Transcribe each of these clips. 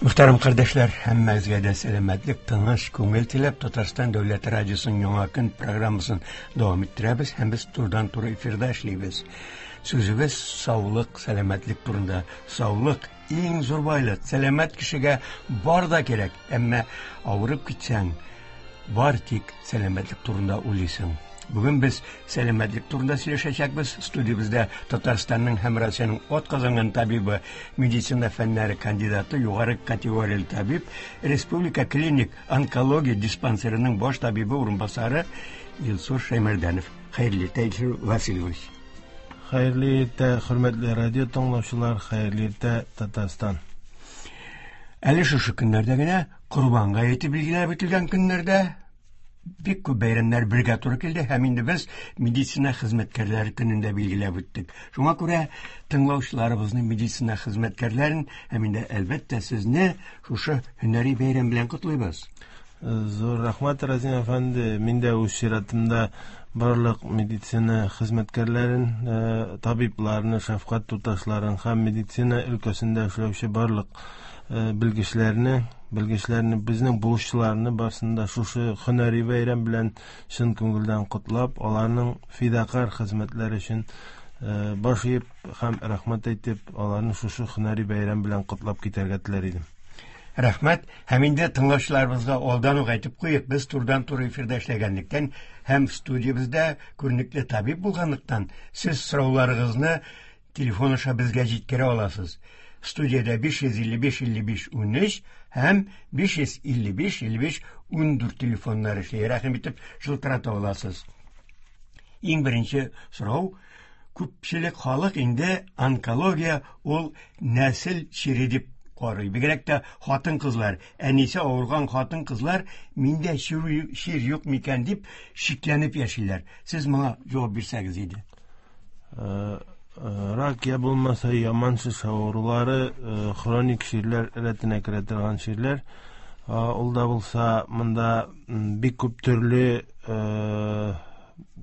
Мөхтәрәм кардәшләр, һәммәгезгә дә сәламәтлек, тыныч күңел теләп, Татарстан дәүләт радиосының Яңа көн программасын дәвам иттерәбез һәм без турыдан-туры эфирда эшлибез. Сүзебез саулык, сәламәтлек турында. Саулык иң зур байлык. Сәламәт кешегә бар да кирәк, әмма авырып китсәң, бар тик сәламәтлек турында уйлыйсың. Бүген без сәламәтлек турында сөйләшәчәкбез. Студиябездә Татарстанның һәм Россиянең атказанган табибы, медицина фәннәре кандидаты, югары категорияле табиб, Республика клиник онкология диспансерының баш табибы урынбасары Илсур Шәймәрдәнов. Хәерле иртә, Илсур Васильевич. Хәерле иртә, хөрмәтле радио тыңлаучылар, хәерле иртә, Татарстан. Әле шушы көннәрдә генә Корбан гаете билгеләп үтелгән көннәрдә бик күп бәйрәмнәр бергә туры килде һәм инде без медицина хезмәткәрләре көнен дә билгеләп үттек. Шуңа күрә тыңлаучыларыбызны, медицина хезмәткәрләрен һәм инде әлбәттә сезне шушы һөнәри бәйрәм белән котлыйбыз. Зур рәхмәт, Разим әфәнде. Мин дә үз чиратымда барлык медицина хезмәткәрләрен, э, табибларны, шәфкать туташларын һәм медицина өлкәсендә эшләүче барлык э, белгечләрне, белгечләрне, безнең булышчыларны барсын да шушы һөнәри бәйрәм белән чын күңелдән котлап, аларның фидакарь хезмәтләре өчен э, баш иеп һәм рәхмәт әйтеп, аларны шушы һөнәри бәйрәм белән котлап китәргә теләр идем. Рәхмәт. Һәм инде тыңлаучыларыбызга алдан ук әйтеп куйыйк, без турыдан-туры эфирда эшләгәнлектән һәм студиябездә күренекле табиб булганлыктан, сез сорауларыгызны телефон аша безгә җиткерә аласыз. Студиядә 555 55 13 һәм 555 55 14 телефоннары эшли. Рәхим итеп шылтырата аласыз. Иң беренче сорау күпчелек халык инде онкология ул нәсел чире дип карый. Бигрәк тә хатын-кызлар, әнисе авырган хатын-кызлар миндә чир, чир юк микән дип шикләнеп яшиләр. Сез моңа җавап бирсәгез иде. Э, э, рак я булмаса яман шеш авырулары э, хроник чирләр рәтенә керә торган чирләр. Ул да булса монда бик күп төрле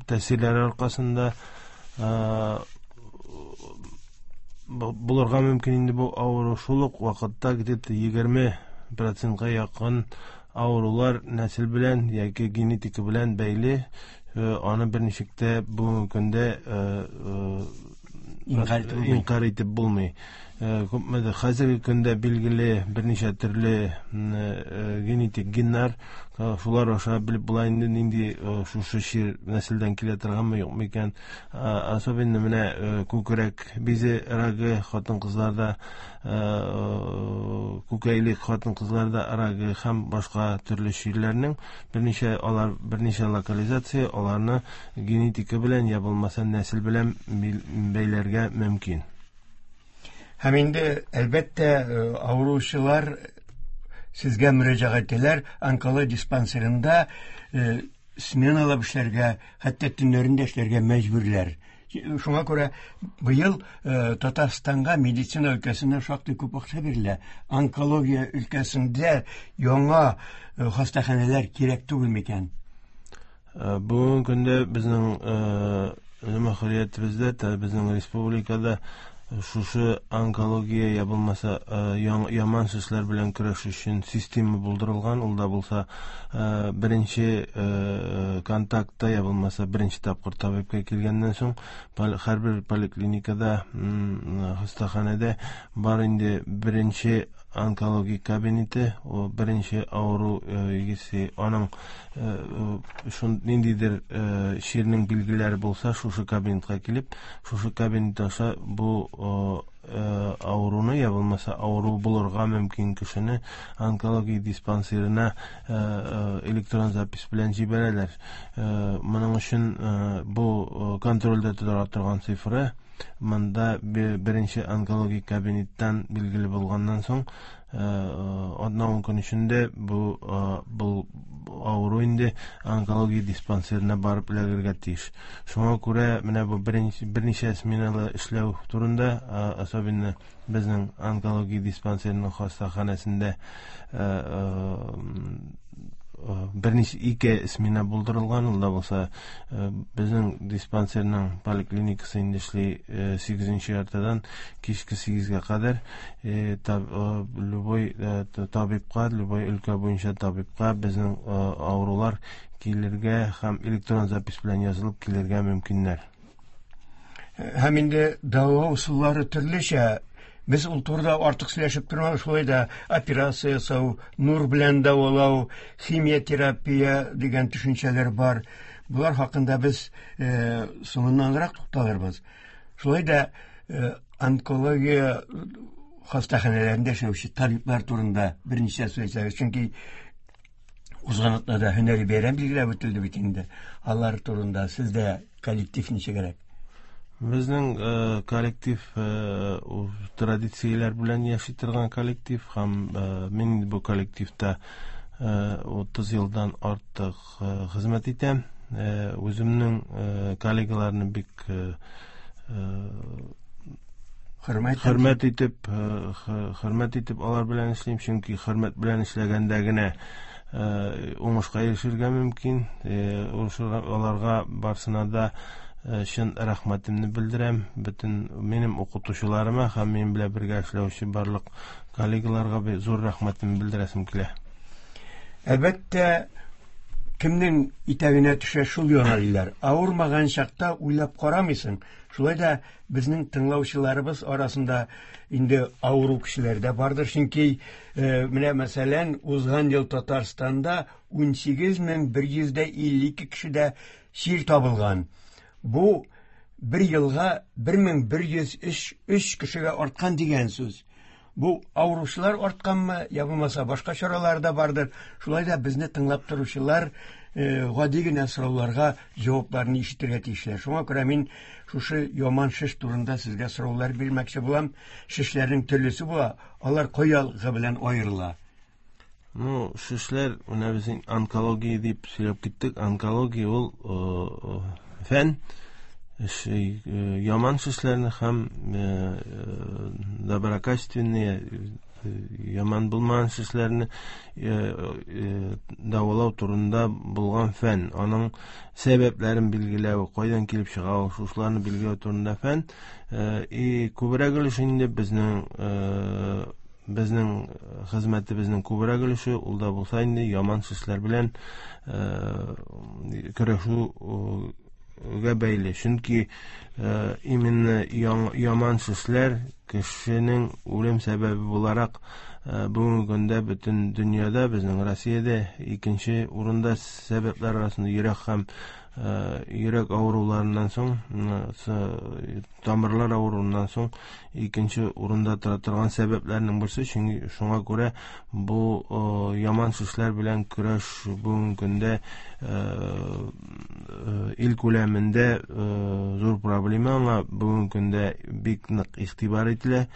тәэсирләре аркасында булырга мөмкин инде бу авыру. Шул ук вакытта где-то 20 процентка якын авырулар нәсел белән яки генетика белән бәйле. Аны берничек тә бүгенге көндә инкарь итеп булмый. Күпмедер хәзерге көндә билгеле берничә төрле генетик геннар, шулар аша белеп була инде нинди шушы чир нәселдән килә торганмы, юкмы икән. Особенно менә күкрәк бизе рагы хатын-кызларда, күкәйле хатын-кызларда рагы һәм башка төрле чирләрнең берничә алар берничә локализация, аларны генетика белән я булмаса нәсел белән бәйләргә мөмкин. Һәм инде, әлбәттә, э, авыручылар сезгә мөрәҗәгать итәләр, онкология диспансерында э, сменалап эшләргә, хәтта төннәрен дә эшләргә мәҗбүрләр. Шуңа күрә быел э, Татарстанга медицина өлкәсенә шактый күп акча бирелә. Онкология өлкәсендә яңа хастаханәләр кирәк түгел микән? Э, бүгенге көндә безнең э, җөмһүриятебездә, безнең республикада шушы онкология я булмаса э, яман шешләр белән көрәш өчен система булдырылган. Ул да булса беренче контактта я булмаса беренче тапкыр табибка килгәннән соң һәрбер поликлиникада, хастаханәдә бар инде беренче онкологик кабинеты, ул беренче авыру егесе аның шун ниндидер чирнең билгеләре булса, шушы кабинетка килеп, шушы кабинет аша бу авыруны я булмаса авыру булырга мөмкин кешене онкология диспансерына электрон запись белән җибәрәләр. Моның өчен бу контрольдә тора торган цифры монда беренче онкологик кабинеттан билгеле булганнан соң атна-ун көн эчендә бу бу авыру инде онкология диспансерына барып эләгергә тиеш. Шуңа күрә менә бу беренче берничә сменалы эшләү турында, особенно безнең онкология диспансерының хастаханәсендә Берничә ике смена булдырылган, ул да булса безнең диспансерның поликлиникасы инде эшли 8 яртыдан кичке 8гә кадәр. Любой табибка, любой өлкә буенча табибка безнең авырулар килергә һәм электрон запись белән язылып килергә мөмкиннәр. Һәм инде дәвалау ысуллары төрлечә. Без ул турыда артык сөйләшеп тормабыз, шулай да операция ясау, нур белән дәвалау, химиотерапия дигән төшенчәләр бар. Болар хакында без соңыннанрак тукталырбыз. Шулай да онкология хастаханәләрендә эшләүче табиблар турында берничә сүз әйтсәгез, чөнки узган атнада һөнәри бәйрәм билгеләп үтелде бит инде. Алар турында сездә коллектив ничегрәк? Безнең коллектив традицияләр белән яши торган коллектив, һәм мин бу коллективта 30 елдан артык хезмәт итәм. Үземнең коллегаларны бик хөрмәт итеп, хөрмәт итеп алар белән эшлим, чөнки хөрмәт белән эшләгәндә генә уңышка ирешергә мөмкин. Аларга барсына да чын рәхмәтемне белдерәм. Бөтен минем укытучыларыма һәм минем белән бергә эшләүче барлык коллегаларга зур рәхмәтемне белдерәсем килә. Әлбәттә, кемнең итәгенә төшә, шул яна диләр. Авырмаган чакта уйлап карамыйсың. Шулай да безнең тыңлаучыларыбыз арасында инде авыру кешеләр дә бардыр. Чөнки менә мәсәлән, узган ел Татарстанда 18152 кешедә чир табылган. Бу бер елга 1103 кешегә арткан дигән сүз. Бу авыручылар артканмы, я булмаса башка чаралар да бардыр. Шулай да безне тыңлап торучылар гади генә сорауларга җавапларны ишетергә тиешләр. Шуңа күрә мин шушы яман шеш турында сезгә сораулар бирмәкче булам. Шешләрнең төрлесе була, алар каялыгы белән аерыла. Ну, шешләр, менә без онкология дип сөйләп киттек. Онкология ул фән, яман шешләрне һәм доброкачественные, яман булмаган шешләрне дәвалау турында булган фән. Аның сәбәпләрен билгеләү, кайдан килеп чыга ул, шушыларны билгеләү турында фән. И күбрәк өлеше инде безнең хезмәтебезнең күбрәк өлеше ул да булса инде яман шешләр белән көрәшүгә бәйле. Чөнки именно яман шешләр кешенең үлем сәбәбе буларак бүгенге көндә бөтен дөньяда, безнең Россиядә икенче урында сәбәпләр арасында йөрәк һәм йөрәк авыруларыннан соң, тамырлар авыруыннан соң икенче урында тора торган сәбәпләрнең берсе. Чөнки шуңа күрә бу яман шешләр белән көрәш бүгенге көндә ил күләмендә зур проблема, аңа бүгенге көндә бик нык игътибар ителә.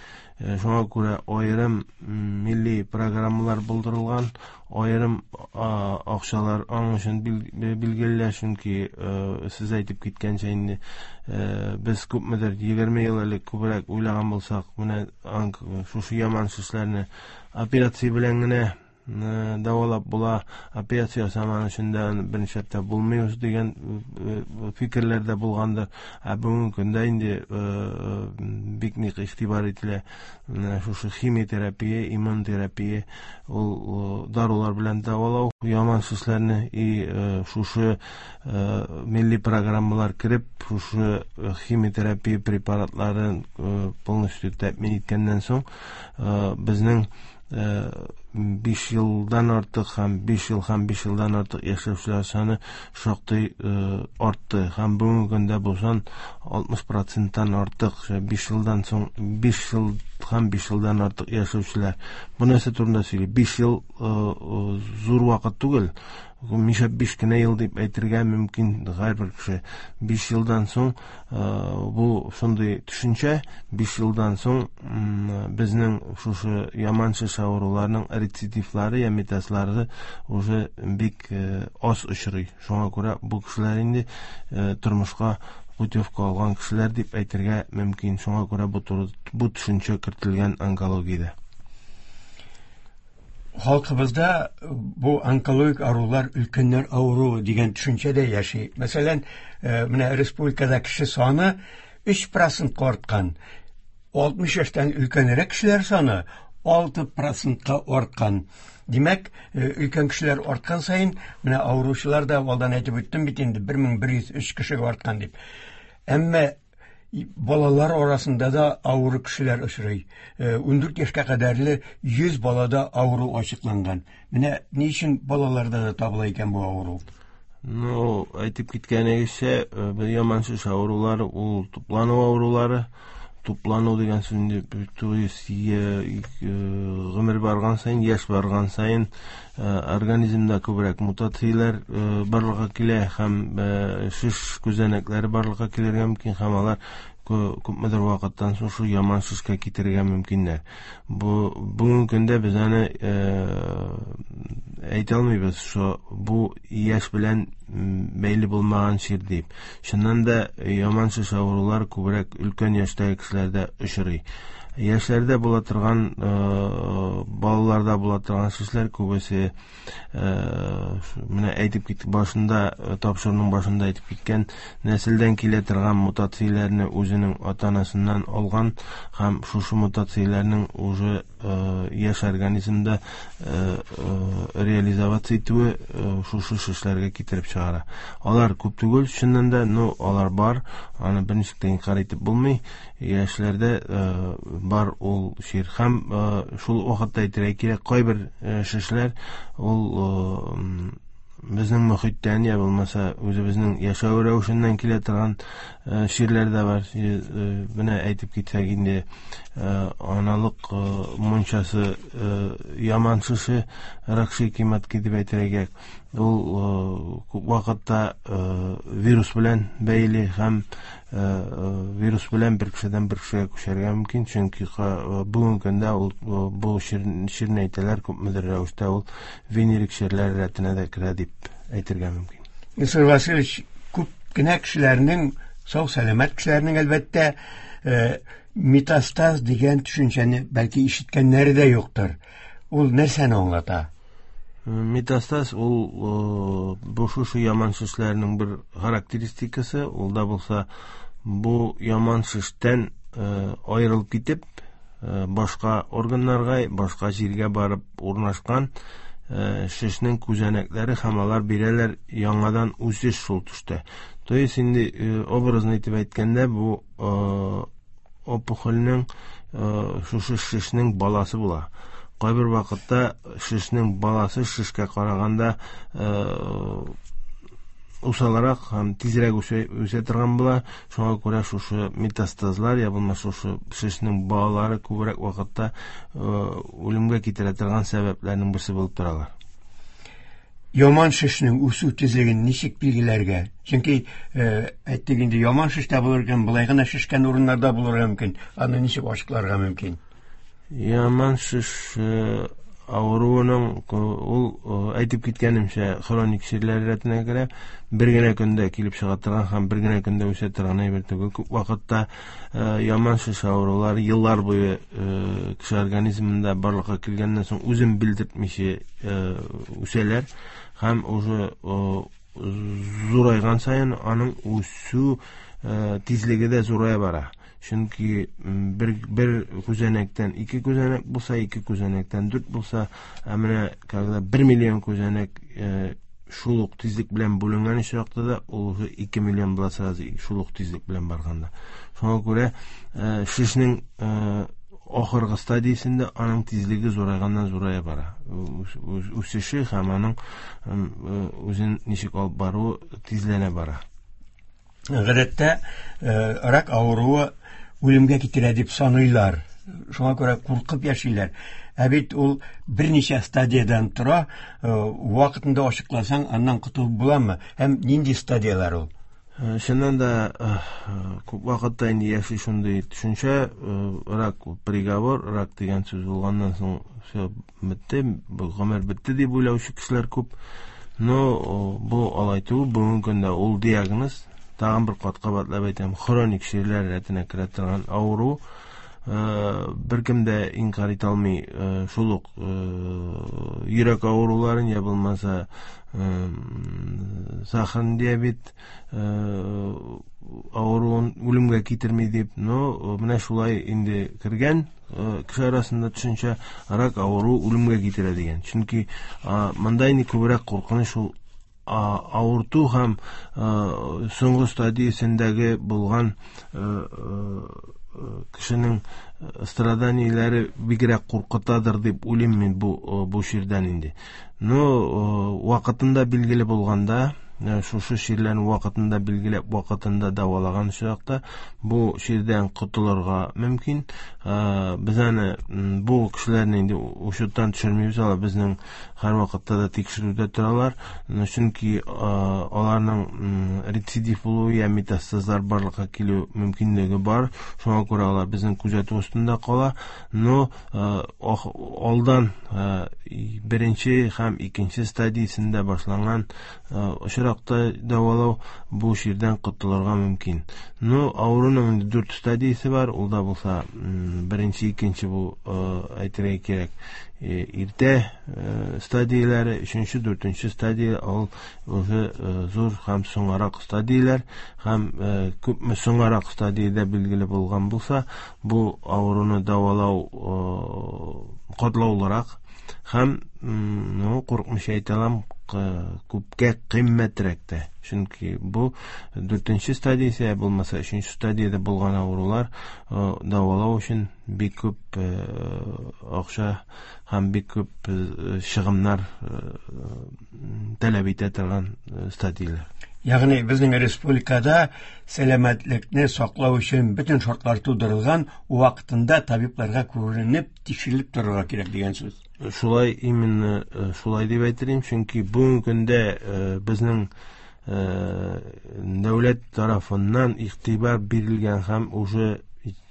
Шуңа күрә аерым милли программалар булдырылган, аерым акчалар аның өчен билгеле, чөнки сез әйтеп киткәнчә инде без күпмедер 20 ел элек күбрәк уйлаган булсак, менә шушы яман шешләрне операция белән генә дәвалап була, операция ясаман өчен дә берничә дә булмый дигән фикерләр дә булгандыр. Ә бүгенге көндә инде бик нык игътибар ителә шушы химиотерапия, иммунотерапия, ул дарулар белән дәвалау яман шешләрне, и шушы милли программалар кереп, шушы химиотерапия препаратларын полностью тәэмин иткәннән соң безнең 5 елдан артык һәм 5 ел һәм 5 елдан артык яшәүчеләр саны шактый артты. Һәм бүгенге көндә бу сан 60%-тан артык. 5 елдан соң 5 ел һәм 5 елдан артык яшәүчеләр. Бу нәрсә турында сөйли? 5 ел зур вакыт түгел. Миша 5 кенә ел дип әйтергә мөмкин һәрбер кеше. 5 елдан соң бу шундый төшенчә, 5 елдан соң безнең шушы яман шеш авыруларының рецидивлары я метастазлары уже бик аз очрый. Шуңа күрә бу кешеләр инде тормышка путевка алган кешеләр дип әйтергә мөмкин. Шуңа күрә бу төшенчә кертелгән онкологиядә. Халкыбызда бу онкологик авырулар өлкәннәр авыруы дигән төшенчә дә яши. Мәсәлән, менә республикада кеше саны 3% арткан. 60 яшьтән өлкәнрәк кешеләр саны 6% арткан. Димәк, өлкән кешеләр арткан саен, менә авыручылар да алдан әйтеп үттем бит инде 1103 кешегә арткан дип. Әмма балалар арасында да авыру кешеләр очрый. 14 яшькә кадәрле 100 балада авыру ачыкланган. Менә ни өчен балаларда да табыла икән бу авыру? Ну, әйтеп киткәнегезчә, бу яман шеш авырулары ул туплану авырулары. Туплану дигән сүз инде, то есть гомер барган саен, яшь барган саен организмда күбрәк мутацияләр барлыкка килә һәм шеш күзәнәкләре барлыкка килергә мөмкин, һәм алар күпмедер вакыттан соң шул яман шешкә китерергә мөмкиннәр. Бу бүгенге көндә без аны әйтә алмыйбыз, шо бу яшь белән бәйле булмаган чир дип. Чыннан да яман шеш авырулар күбрәк өлкән яшьтәге кешеләрдә очрый. Яшьләрдә була торган, балаларда була торган шешләр күбесе менә әйтеп киттек башында, тапшыруның башында әйтеп киткән нәселдән килә торган мутацияләрне үзенең ата-анасыннан алган һәм шушы мутацияләрнең уже яшь организмда реализоваться итүе шушы шешләргә китереп чыгара. Алар күп түгел, чыннан да, но алар бар, аны берничек тә инкарь итеп булмый. Яшьләрдә бар ул чир. Һәм шул вакытта әйтергә кирәк, кайбер шешләр ул безнең мөхиттән я булмаса үзебезнең яшәү рәвешеннән килә торган чирләр дә бар. Менә әйтеп китсәк инде, аналык мунчасы яман шеше, рак шейки матки дип әйтергә кирәк. Ул күп вакытта вирус белән бәйле һәм вирус белән бер кешедән бер кешегә күчәргә мөмкин, чөнки бүгенге көндә ул бу чирне әйтәләр, күпмедер рәвештә ул венерик чирләр рәтенә дә керә дип әйтергә мөмкин. Илсур Васильевич, күп кенә кешеләрнең, сау сәламәт кешеләрнең әлбәттә, метастаз дигән төшенчәне бәлки ишеткәннәре дә юктыр. Ул нәрсәне аңлата? Метастаз ул бу шушы яман шешләрнең бер характеристикасы, ул да булса бу яман шештән аерылып китеп, башка органнарга, башка җиргә барып урнашкан шешнең күзәнәкләре һәм алар бирәләр яңадан үсеш шул төштә. То есть инде образно итеп әйткәндә, бу опухольнең шушы шешнең баласы була. Кайбер вакытта шешнең баласы шешкә караганда усалрак һәм тизрәк үсә торган була. Шуңа күрә шушы метастазлар, я булмаса шушы шешнең балалары күбрәк вакытта үлемгә китерә торган сәбәпләрнең берсе булып торалар. Яман шешнең үсү тизлеген ничек билгеләргә? Чөнки әйттек инде, яман шеш тә булыр икән, болай гына шешкән урыннарда булырга мөмкин. Аны ничек ачыкларга мөмкин? Яман шеш авыруының ул әйтеп киткәнемчә хроник чирләр рәтенә керә. Бер генә көндә килеп чыга торган һәм бер генә көндә үсә торган әйбер түгел. Күп вакытта яман шеш авырулары еллар буе кеше организмында барлыкка килгәннән соң үзен белдертмичә үсәләр һәм уже зурайган саен аның үсү тизлеге дә зурая бара. Чөнки бер күзәнәктән ике күзәнәк булса, ике күзәнәктән дүрт булса, ә менә когда 1 миллион күзәнәк шул ук тизлек белән бүленгән очракта да, ул уже 2 миллион була сразу шул ук тизлек белән барганда. Шуңа күрә шешнең ахыргы стадиясендә аның тизлеге зурайганнан зурая бара. Үсеше һәм аның үзен ничек алып баруы тизләнә бара. Гадәттә рак авыруы үлемгә китерә дип саныйлар. Шуңа күрә куркып яшиләр. Ә бит ул берничә стадиядән тора, вакытында ачыкласаң, аннан котылып буламы? Һәм нинди стадияләр ул? Чыннан да, күп вакытта инде яши шундый төшенчә, рак приговор, рак дигән сүз булганнан соң все бетте, бу гомер бетте дип уйлаучы кешеләр күп. Но бу алай түгел, бүгенге көндә ул диагноз, тагын бер кат кабатлап әйтәм, хроник чирләр рәтенә керә торган авыру. Беркем дә инкар итә алмый шул ук йөрәк авыруларын, я булмаса сахарный диабет авыруын үлемгә китерми дип. Но менә шулай инде кергән кеше арасында төшенчә, рак авыру үлемгә китерә дигән. Чөнки монда инде күбрәк куркыныч ул авырту һәм соңгы стадиясендәге булган кешенең страданиеләре бигрәк куркытадыр дип уйлыйм мин бу чирдән инде. Но вакытында билгеле булганда, шушы чирләрне вакытында билгеләп, вакытында дәвалаган очракта бу чирдән котылырга мөмкин. Без аны бу кешеләрне инде учеттан төшермибез, алар безнең һәрвакытта да тикшерүдә торалар. Чөнки аларның рецидив булуы я метастазлар барлыкка килү мөмкинлеге бар. Шуңа күрә алар безнең күзәтү астында кала. Но алдан беренче һәм икенче стадиясендә башланган очракта дәвалау бу чирдән котылырга мөмкин. Но авыруның инде 4 стадиясе бар. Ул да булса беренче, икенче бу әйтергә кирәк иртә стадияләре, өченче, дүртенче стадия ул уже зур һәм соңарак стадияләр, һәм күпме соңарак стадиядә билгеле булган булса, бу авыруны дәвалау катлаулырак һәм, ну, курыкмыйча әйтә алам, күпкә кыйммәтрәк тә. Чөнки бу дүртенче стадиясе, булмаса өченче стадиядә булган авырулар дәвалау өчен бик күп акча һәм бик күп чыгымнар таләп итә торган стадияләр. Ягъни безнең республикада сәламәтлекне саклау өчен бөтен шартлар тудырылган, вакытында табибларга күренеп, тикшерелеп торырга кирәк дигән сүз. Шулай, именно шулай дип әйтер идем, чөнки бүгенге көндә безнең дәүләт тарафыннан игътибар бирелгән һәм уже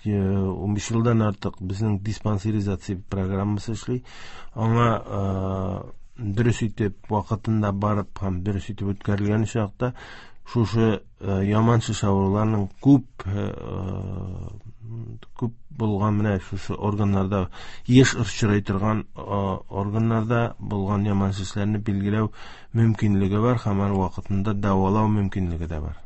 15 елдан артык безнең диспансеризация программасы эшли. Аңа дөрес итеп вакытында барып һәм дөрес итеп үткәрелгән чакта шушы яман шеш авыруларының күп күп булган менә шушы органнарда еш очрый торган органнарда булган яман шешләрне билгеләү мөмкинлеге бар һәм аны вакытында дәвалау мөмкинлеге дә бар.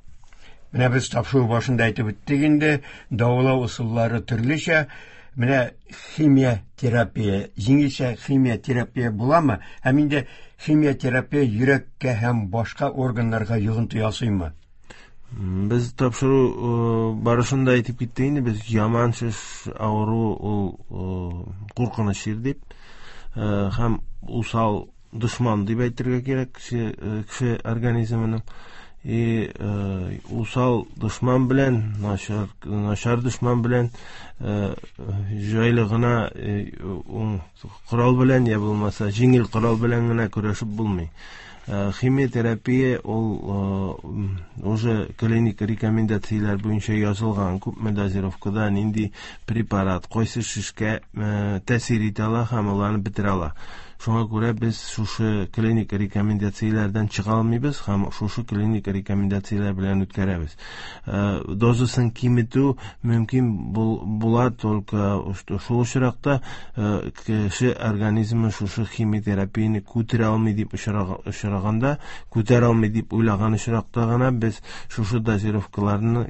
Менә без тапшыру башында әйтеп үттек инде, дәвалау ысуллары төрлечә. Менә химия терапия, җиңелчә химия терапия буламы? Һәм инде химия терапия йөрәккә һәм башка органнарга йогынты ясыймы? Без тапшыру барышында әйтеп киттек инде, без яман шеш авыру ул куркыныч чир дип, һәм усал дошман дип әйтергә кирәк кеше организмының. И усал дошман белән, начар дошман белән җайлы гына корал белән я булмаса җиңел корал белән генә көрәшеп булмый. Химиотерапия ул уже клиник рекомендацияләр буенча язылган, күпме дозировкада нинди препарат, кайсы шешкә тәэсир итә ала һәм аларны бетерә ала. Шуңа күрә без шушы клиник рекомендацияләрдән чыга алмыйбыз һәм шушы клиник рекомендацияләр белән үткәрәбез. Дозасын киметү мөмкин була только шул очракта кеше организмы шушы химиотерапияне күтәрә алмый дип очраганда, күтәрә алмый дип уйлаган очракта гына без шушы дозировкаларны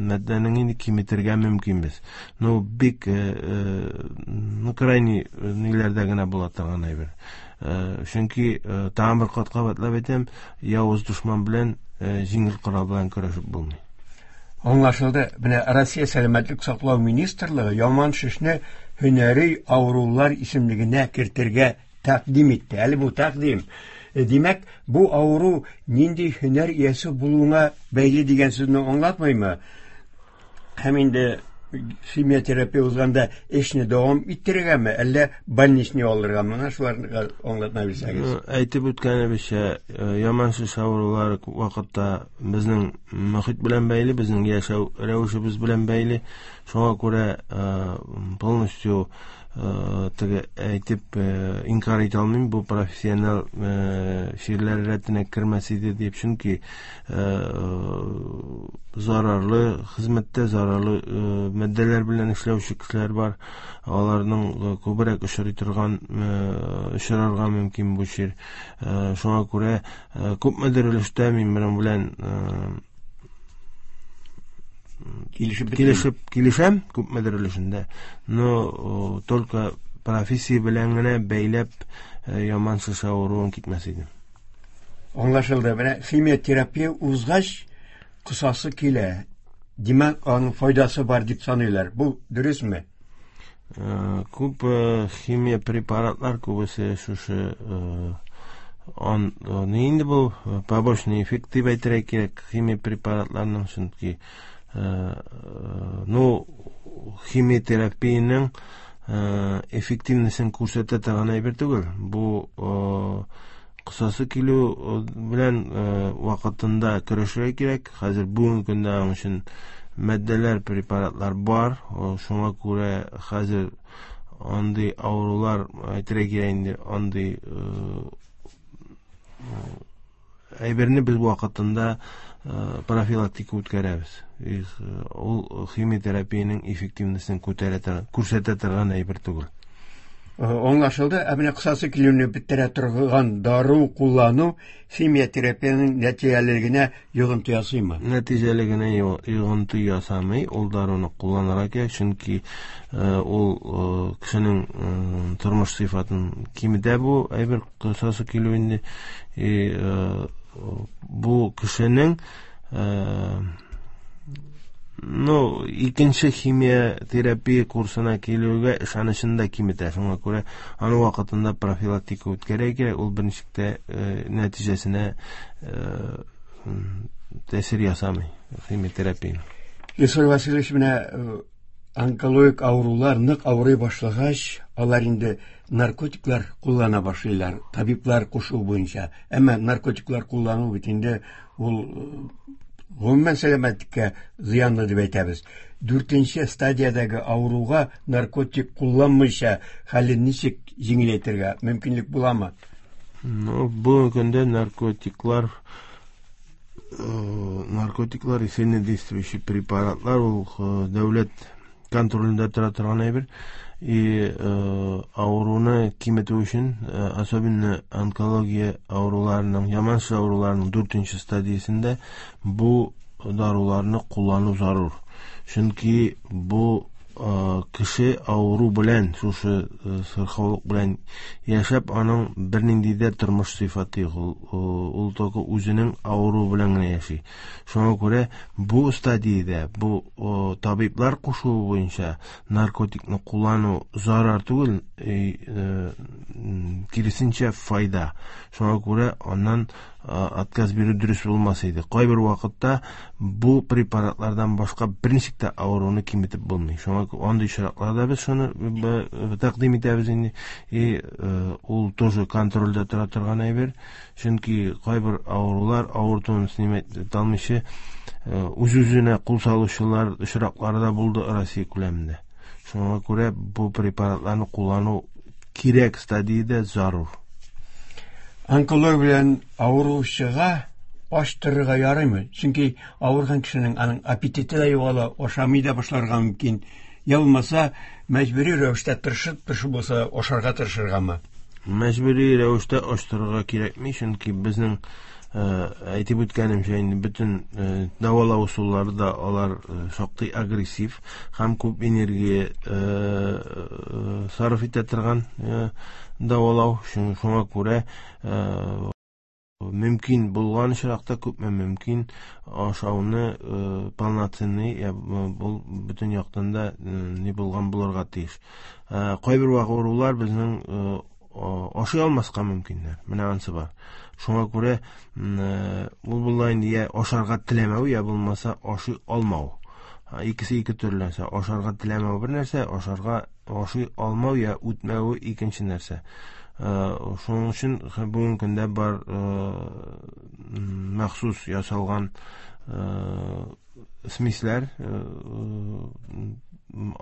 матдәнең инде киметергә мөмкинбез. Но бик ну крайний ниләрдә генә була торган әйбер. Чөнки тагын бер кат кабатлап әйтәм, явыз дошман белән җиңел корал белән көрәшеп булмый. Аңлашылды. Менә Россия сәламәтлек саклау министрлыгы яман шешне һөнәри авырулар исемлегенә кертергә тәкъдим итте. Әле бу тәкъдим. Димәк, бу авыру нинди һөнәр иясе булуына бәйле дигән сүзне аңлатмыймы? Һәм инде химиотерапия узганда эшне дәвам иттерергәме, әллә больничный алыргамы? Менә шуларны аңлатма бирсәгез. Әйтеп үткәнебезчә, яман шеш авырулары күп вакытта безнең мохит белән бәйле, безнең яшәү рәвешебез белән бәйле. Шуңа күрә полностью Теге әйтеп инкар итә алмыйм, бу профессионал чирләр рәтенә кермәс иде дип, чөнки зарарлы хезмәттә зарарлы матдәләр белән эшләүче кешеләр бар. Аларның күбрәк очрый торган, очрарга мөмкин бу чир. Шуңа күрә күпмедер өлештә мин моның белән килешеп килешәм күпмедер өлешендә, но только профессия белән генә бәйләп яман шеш авыруын китмәс идем. Аңлашылды. Менә химиотерапия узгач, косасы килә. Димәк, аның файдасы бар дип саныйлар. Бу дөресме? Күп химия препаратлар күбесе шушы он ни инде бу побочный эффект дип әйтергә кирәк химия препаратларның, чөнки ну химиотерапиянең эффективностен күрсәтә торган әйбер түгел. Бу кысасы килү белән вакытында көрәшергә кирәк. Хәзер бүгенге көндә аның өчен матдәләр, препаратлар бар. Шуңа күрә хәзер андый авырулар, әйтергә кирәк инде, андый әйберне без вакытында профилактика үткәрәбез. Ул химиотерапиянең эффективностен күтәрә торган, күрсәтә торган әйбер түгел. Аңлашылды. Ә менә кысасы килүне бетерә торган дару куллану химиотерапиянең нәтиҗәлелегенә йогынты ясыймы? Нәтиҗәлегенә йогынты ясамый. Ул даруны кулланырга кирәк, чөнки ул кешенең тормыш сыйфатын киметә бу әйбер кысасы килү инде. Бу кешенең ну, икенче химиотерапия курсына килүгә ышанычын да киметә. Шуңа күрә аны вакытында профилактика үткәрергә кирәк. Ул берничек тә нәтиҗәсенә тәэсир ясамый химиотерапия. Илсур Васильевич, менә онкологик авырулар нык авырый башлагач, алар инде наркотиклар куллана башлыйлар, табиблар кушуы буенча. Әмма наркотиклар куллану бит инде ул гомумән сәламәтлеккә зыянлы дип әйтәбез. Дүртенче стадиядәге авыруга наркотик кулланмыйча хәлен ничек җиңеләйтергә мөмкинлек буламы? Ну, бүгенге көндә наркотиклар наркотиклар сильнодействующий препаратлар, ул дәүләт контролендә тора торган әйбер. И авыруны киметү өчен, особенно онкология авыруларының, яман шеш авыруларының дүртенче стадиясендә бу даруларны куллану зарур. Чөнки бу кеше авыру белән, шушы сырхаулык белән яшәп, аның бернинди дә тормыш сыйфаты юк. Ул только үзенең авыруы белән генә яши. Шуңа күрә бу стадиядә бу табиблар кушуы буенча наркотикны куллану зарар түгел, киресенчә файда. Шуңа күрә аннан отказ бирү дөрес булмас иде. Кайбер вакытта бу препаратлардан башка берничек тә авыруны киметеп булмый. Шуңа андый очракларда без шуны тәкъдим итәбез инде. И ул тоже контрольдә тора торган әйбер. Чөнки кайбер авырулар авыртуын снимать итә алмыйча үз-үзенә кул салучылар очраклары да булды Россия күләмендә. Шуңа күрә бу препаратларны куллану кирәк стадиядә зарур. Онкология белән авыручыга ач торырга ярыймы? Чөнки авырган кешенең аның аппетиты да югала, ашамый да башларга мөмкин. Я булмаса, мәҗбүри рәвештә тырышып-тырышып булса ашарга тырышыргамы? Мәҗбүри рәвештә ач торырга кирәкми, чөнки безнең әйтеп үткәнемчә инде бөтен дәвалау ысуллары да алар шактый агрессив һәм күп энергия сарыф итә торган дәвалау. Шуңа күрә мөмкин булган очракта күпме мөмкин ашауны полноценный, бу бөтен яктан да ни булган булырга тиеш. Кайбер авырулар безнең ашый алмаска мөмкиннәр. Менә ансы бар. Шуңа күрә ул була инде я ашарга теләмәү, я булмаса ашый алмау. Икесе ике төрле нәрсә. Ашарга теләмәү бер нәрсә, ашарга ашый алмау я үтмәве икенче нәрсә. Шуның өчен бүгенге көндә бар махсус ясалган смесләр,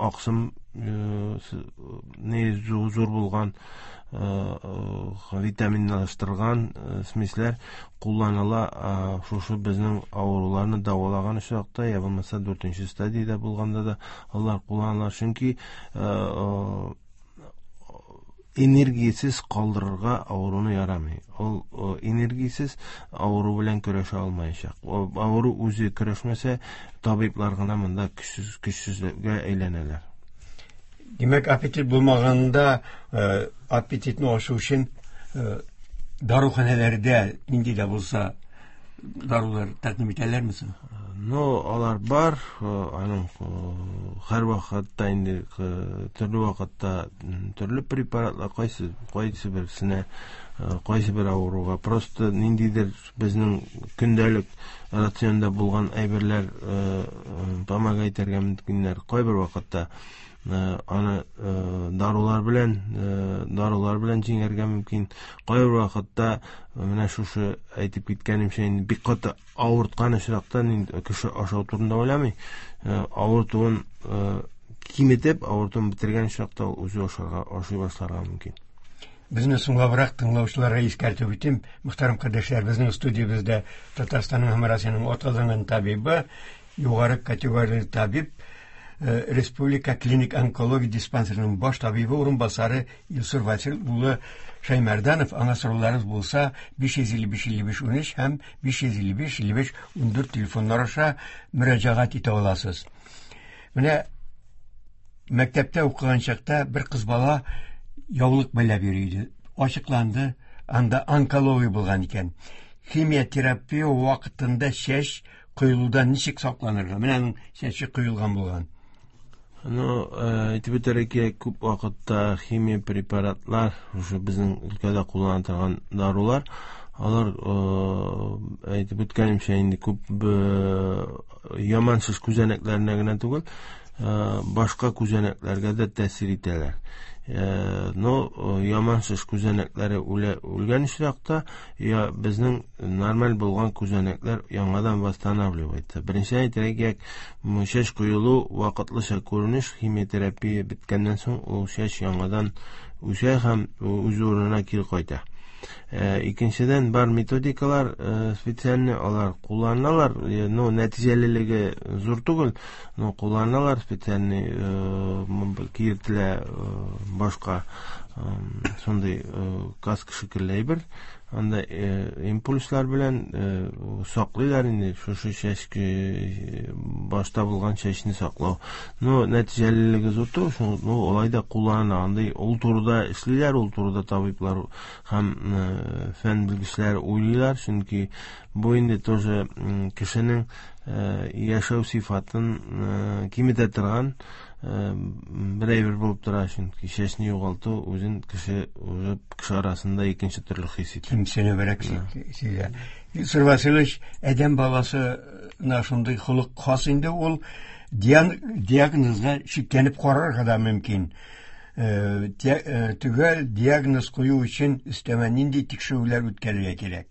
аксым не зур булган витаминлаштырган смесләр кулланыла шушы безнең авыруларны дәвалаган очракта, я булмаса 4 стадиядә булганда да алар кулланыла, чөнки энергиясез калдырырга авыруны ярамый. Ул энергиясез авыру белән көрәшә алмаячак. Авыру үзе көрәшмәсә, табиблар гына монда көчсезлеккә әйләнәләр. Димәк, аппетит булмаганда, аппетитны ачу өчен даруханәләрдә нинди дә булса дарулар тәкъдим итәләрме соң? Ну, алар бар, аның һәр вакытта инде төрле вакытта төрле препаратлар кайсы берсенә, кайсы бер авыруга. Просто ниндидер безнең көндәлек рационда булган әйберләр помогать итәргә мөмкиннәр. Кайбер вакытта аны дарулар белән җиңәргә мөмкин. Кайбер вакытта менә шушы әйтеп киткәнемчә, инде бик каты авырткан очракта инде кеше ашау турында уйламый. Авыртуын киметеп, авыртуын бетергән очракта ул үзе ашый башларга мөмкин. Безне соңлабрак тыңлаучыларга искәртеп үтим, мөхтәрәм кардәшләр, безнең студиябездә Татарстанның һәм Россиянең атказанган табибы, югары категорияле табиб, Республика клиник онкология диспансерының баш табибы урынбасары Илсур Васил улы Шәймәрданов. Аңа сорауларыгыз булса 555 55 13 һәм 555 55 14 телефоннар аша мөрәҗәгать итә аласыз. Менә мәктәптә укыган чакта бер кыз бала яулык бәйләп йөри иде. Ачыкланды, анда онкология булган икән. Химиотерапия вакытында чәч коелудан ничек сакланырга? Менә аның чәче коелган булган. Ну, әйтеп үтәргә кирәк, күп вакытта химия препаратлар, шушы безнең өлкәдә куллана торган дарулар, алар, әйтеп үткәнемчә, инде күп яман шеш күзәнәкләренә генә түгел, башка күзәнәкләргә дә тәэсир итәләр. Но яман шеш күзәнәкләре үлгән очракта, я безнең нормаль булган күзәнәкләр яңадан восстанавливается. Беренче әйтергә кирәк, чәч коелу вакытлыча күренеш, химиотерапия беткәннән соң ул чәч яңадан үсә һәм үз урынына кире кайта. Икенчедән, бар методикалар специальный, алар кулланалар, но нәтиҗәлелеге зур түгел, но кулланалар специальный, киертелә башка шундый каска шикелле әйбер, анда импульслар белән саклыйлар инде шушы чәч, башта булган чәчне саклау. Но нәтиҗәлелеге зур түгел, шуны, ну, алай да куллана. Андый ул турыда эшлиләр, ул турыда табиблар һәм фән белгечләре уйлыйлар, чөнки бу инде тоже кешенең яшәү сыйфатын киметә торган бер әйбер булып тора, чөнки чәчне югалту үзен кеше уже кеше арасында икенче төрле хис итә. Кимсенебрәк сизә. Илсур Васильевич, адәм баласына шундый холык хас инде, ул диагнозга шикләнеп карарга да мөмкин. Төгәл диагноз кую өчен өстәмә нинди тикшерүләр үткәрергә кирәк?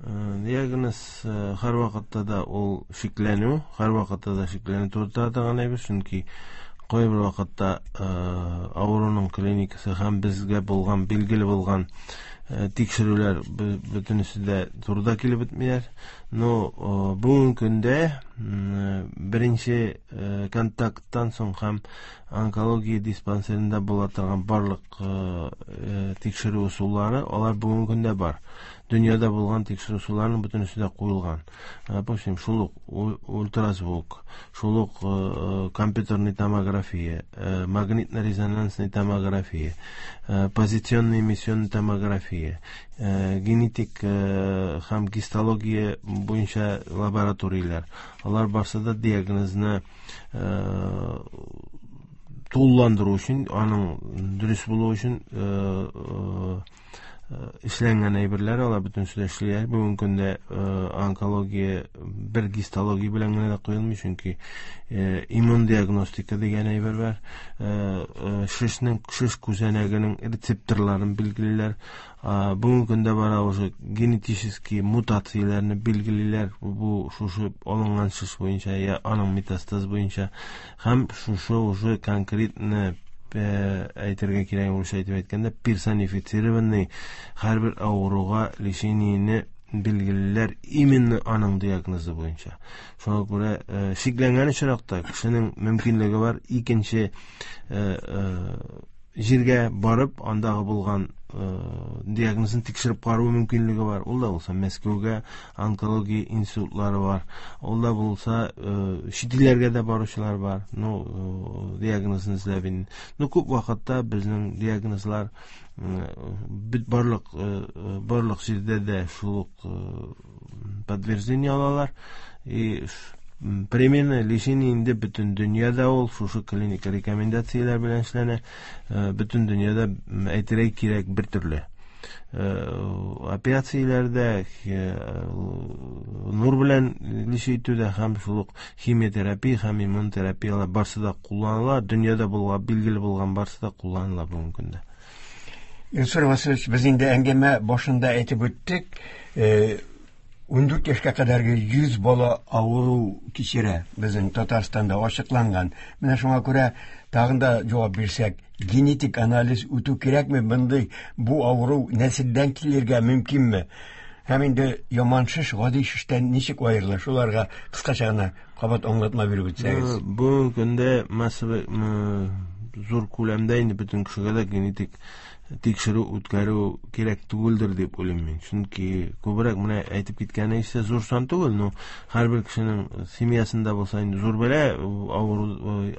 Диагноз һәр вакытта да ул шикләнү, һәр вакытта да шикләнү турында торган әйбер, чөнки кайбер вакытта авыруның клиникасы һәм безгә булган, билгеле булган тикшерүләр бөтенесе дә турыда килеп бетмиләр. Но бүгенге көндә беренче контакттан соң һәм онкология диспансерында була торган барлык тикшерү ысуллары, алар бүгенге көндә бар. Дөньяда булган тикшерү ысулларының бөтенесе дә куелган. Допустим, шул ук ультразвук, шул ук компьютерный томография, магнитно-резонансный томография, позиционный эмиссионный томография, генетик һәм гистология буенча лабораторияләр. Алар барсы да диагнозны тулыландыру өчен, аның дөрес булуы өчен Эшләнгән әйберләр, алар бөтенесе дә эшлиләр. Бүгенге көндә онкология бер гистология белән генә дә куелмый, чөнки иммун диагностика дигән әйбер бар. Шешнең, шеш күзәнәгенең рецепторларын билгелиләр. Бүгенге көндә бара уже генетический мутацияләрне билгелиләр. Бу шушы алынган шеш буенча я аның метастаз буенча һәм шушы уже конкретно әйтергә кирәк, урысча әйтеп әйткәндә, персонифицированный һәрбер авыруга лечениене билгелиләр именно аның диагнозы буенча. Шуңа күрә шикләнгән очракта кешенең мөмкинлеге бар икенче җиргә барып, андагы булган диагнозын тикшереп карау мөмкинлеге бар. Ул да булса Мәскәүгә онкология институтлары бар. Ул да булса чит илләргә дә баручылар бар. Ну, диагнозын эзләп инде. Ну, күп вакытта безнең диагнозлар бит барлык җирдә дә шул ук подтверждение алалар. И примерно лечение инде бөтен дөньяда ул шушы клиника рекомендацияләр белән эшләнә. Бөтен дөньяда әйтергә кирәк бер төрле. Операцияләрдә, нур белән лечить итүдә һәм шул ук химиотерапия һәм иммунотерапияләр барсы да кулланыла. Дөньяда булган, билгеле булган барсы да кулланыла бүгенге көндә. Илсур Васильевич, без инде әңгәмә башында әйтеп үттек, 14 яшькә кадәрге 100 бала авыру кичерә безнең Татарстанда ачыкланган. Менә шуңа күрә тагын да җавап бирсәк, генетик анализ үтү кирәкме? Мондый бу авыру нәселдән килергә мөмкинме? Һәм инде яман шеш гади шештән ничек аерыла? Шуларга кыскача гына кабат аңлатма биреп үтсәгез. Бүгенге көндә массовый, зур күләмдә инде бөтен кешегә дә генетик тикшерү үткәрү кирәк түгелдер дип уйлыйм мин. Чөнки күбрәк менә әйтеп киткәне исә зур сан түгел, но һәрбер кешенең семьясында булса инде зур бәла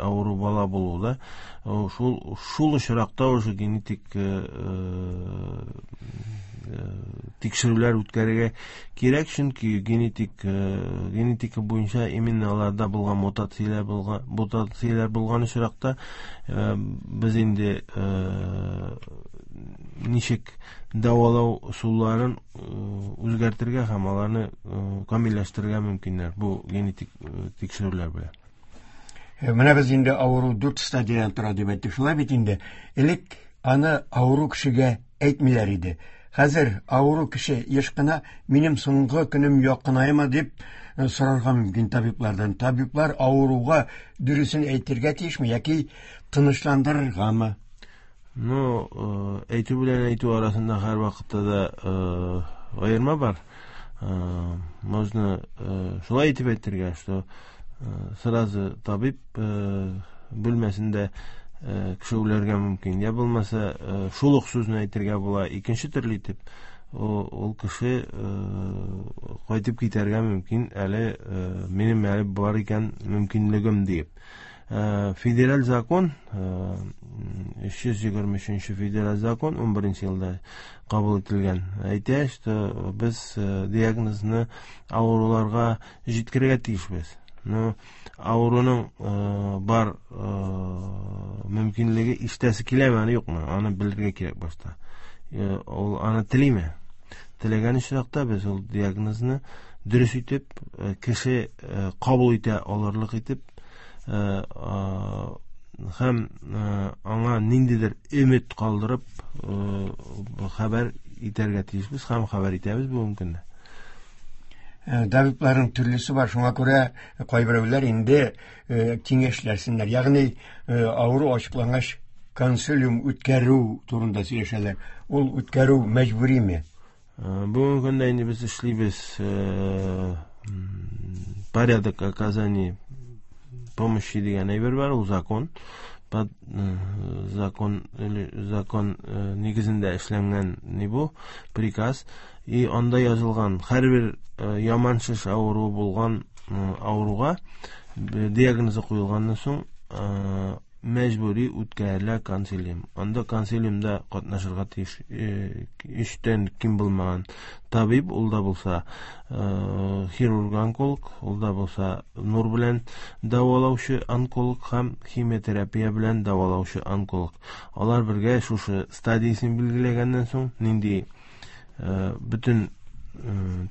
авыру бала булу да, шул очракта уже генетик тикшерүләр үткәрергә кирәк, чөнки генетика буенча именно аларда булган мутацияләр булган очракта без инде ничек дәвалау ысулларын үзгәртергә һәм аларны камилләштерергә мөмкиннәр бу генетик тикшерүләр белән. Менә без инде авыру 4 стадиядән тора дип әйттек. Шулай бит инде. Элек аны авыру кешегә әйтмиләр иде. Хәзер авыру кеше еш кына минем соңгы көнем якынаймы дип сорарга мөмкин табиблардан. Табиблар авыруга дөресен әйтергә тиешме яки тынычландырыргамы? Ну, әйтү белән әйтү арасында һәр вакытта да аерма бар. Можно шулай итеп әйтергә, что сразу табиб бүлмәсендә кеше үләргә мөмкин. Я булмаса, шул ук сүзне әйтергә була икенче төрле итеп, ул кеше кайтып китәргә мөмкин, әле минем әле бар икән мөмкинлегем диеп. Федераль закон, 323 федераль закон 11 елда кабул ителгән. Әйтә, что без диагнозны авыруларга җиткерергә тиешбез. Но авыруның бар мөмкинлеге ишетәсе киләме, аны юкмы? Аны белергә кирәк башта. Ул аны телиме? Теләгән очракта без ул диагнозны дөрес итеп, кеше кабул итә алырлык итеп, һәм аңа ниндидер өмет калдырып, хәбәр итәргә тиешбез һәм хәбәр итәбез бүгенге көндә. Табибларның төрлесе бар, шуңа күрә кайберәүләр инде киңәшләрсеннәр. Ягъни авыру ачыклангач консилиум үткәрү турында сөйләшәләр. Ул үткәрү мәҗбүриме? Бүгенге көндә инде без эшлибез, порядок оказания помощи дигән әйбер бар, ул закон. Под закон или закон нигезендә эшләнгән ни бу приказ. И анда язылган һәрбер яман шеш авыруы булган авыруга диагнозы куелганнан соң мәҗбүри үткәрелә консилиум. Анда консилиумда катнашырга тиеш өчтән ким булмаган табиб, ул да булса хирург-онколог, ул да булса нур белән дәвалаучы онколог һәм химиотерапия белән дәвалаучы онколог. Алар бергә шушы стадиясен билгеләгәннән соң нинди Бөтен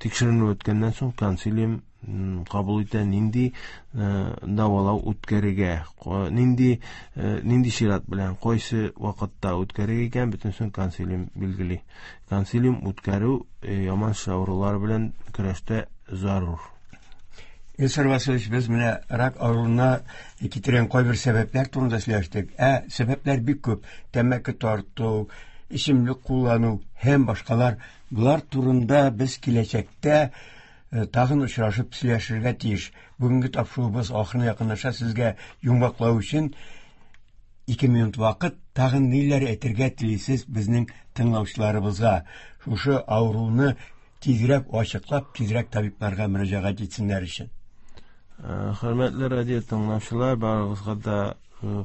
тикшеренү үткәннән соң консилиум кабул итә, нинди дәвалау үткәрергә, нинди чират белән, кайсы вакытта үткәрергә икән, бөтенесен консилиум билгели. Консилиум үткәрү яман шеш авырулары белән көрәштә зарур. Илсур Васильевич, без менә рак авыруына китергән кайбер сәбәпләр турында сөйләштек. Ә сәбәпләр бик күп. Тәмәке тарту, эчемлек куллану һәм башкалар. Болар турында без киләчәктә тагын очрашып сөйләшергә тиеш. Бүгенге тапшыруыбыз ахырына якынлаша. Сезгә йомгаклау өчен 2 минут вакыт. Тагын ниләр әйтергә телисез безнең тыңлаучыларыбызга? Шушы авыруны тизрәк ачыклап, тизрәк табибларга мөрәҗәгать итсеннәр өчен. Хөрмәтле радио тыңлаучылар, барыгызга да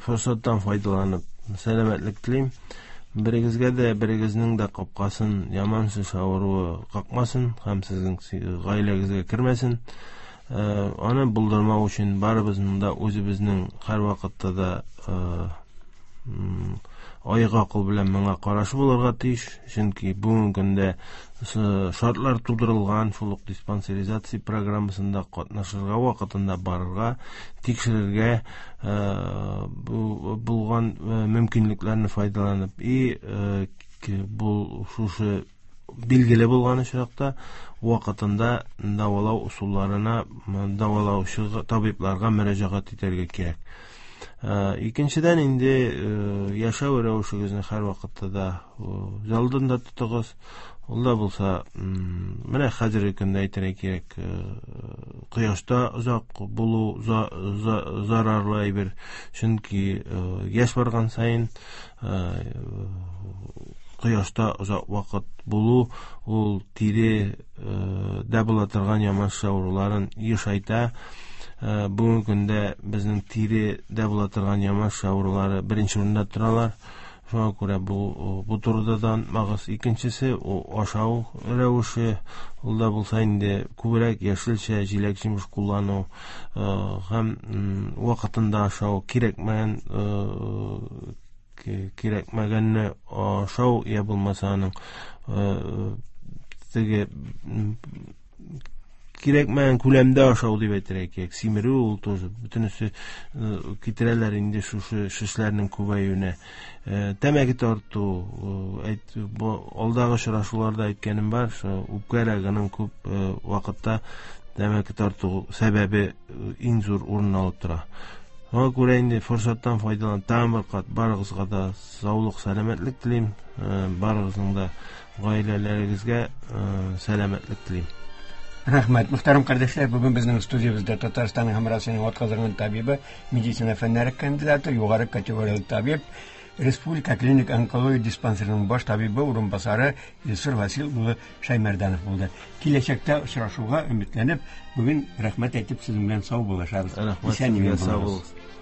форсаттан файдаланып сәламәтлек телим. Берегезгә дә, берегезнең дә капкасын яман шеш авыруы какмасын һәм сезнең гаиләгезгә кермәсен. Аны булдырмау өчен барыбызның да үзебезнең һәрвакытта да аек акыл белән моңа карашы булырга тиеш, чөнки бүгенге көндә шартлар тудырылган, шул ук диспансеризация программасында катнашырга, вакытында барырга, тикшерергә, булган мөмкинлекләрне файдаланып, и бу шушы билгеле булган очракта вакытында дәвалау ысулларына, дәвалаучы табибларга мөрәҗәгать итәргә кирәк. Икенчедән инде яшәү рәвешегезне һәрвакытта да алдында тотыгыз. Ул да булса, менә хәзерге көндә әйтергә кирәк, кояшта озак булу зарарлы әйбер, чөнки яшь барган саен кояшта озак вакыт булу ул тире дә була торган яман шеш авыруларын ешайта. Бүгенге көндә безнең тире дә була торган яман шеш авырулары беренче урында торалар. Шуңа күрә бу турыда да онытмагыз. Икенчесе, ул ашау рәвеше, ул да булса инде күбрәк яшелчә, җиләк-җимеш куллану, һәм вакытында ашау, кирәкмәгәнне ашау, я булмаса аның теге кирәкмәгән күләмдә ашау дип әйтергә кирәк. Симерү ул тоже бөтенесе китерәләр инде шушы шешләрнең күбәюенә. Тәмәке тарту, бу алдагы очрашуларда әйткәнем бар, шул үпкә рагының күп вакытта тәмәке тарту сәбәбе иң зур урын алып тора. Шуңа күрә инде форсаттан файдаланып тагын бер кат барыгызга да саулык, сәламәтлек телим. Барыгызның да гаиләләрегезгә сәламәтлек телим. Рәхмәт. Мөхтәрәм кардәшләр, бүген безнең студиябездә Татарстанның һәм Россиянең атказанган табибы, медицина фәннәре кандидаты, югары категорияле табиб, Республика клиник онкология диспансерының баш табибы урынбасары Илсур Васил улы Шаймәрдәнов булды. Киләчәктә очрашуга өметләнеп, бүген рәхмәт әйтеп сезнең белән сау булышабыз. Рәхмәт Исән-имин сезгә, сау булыгыз. булыгыз.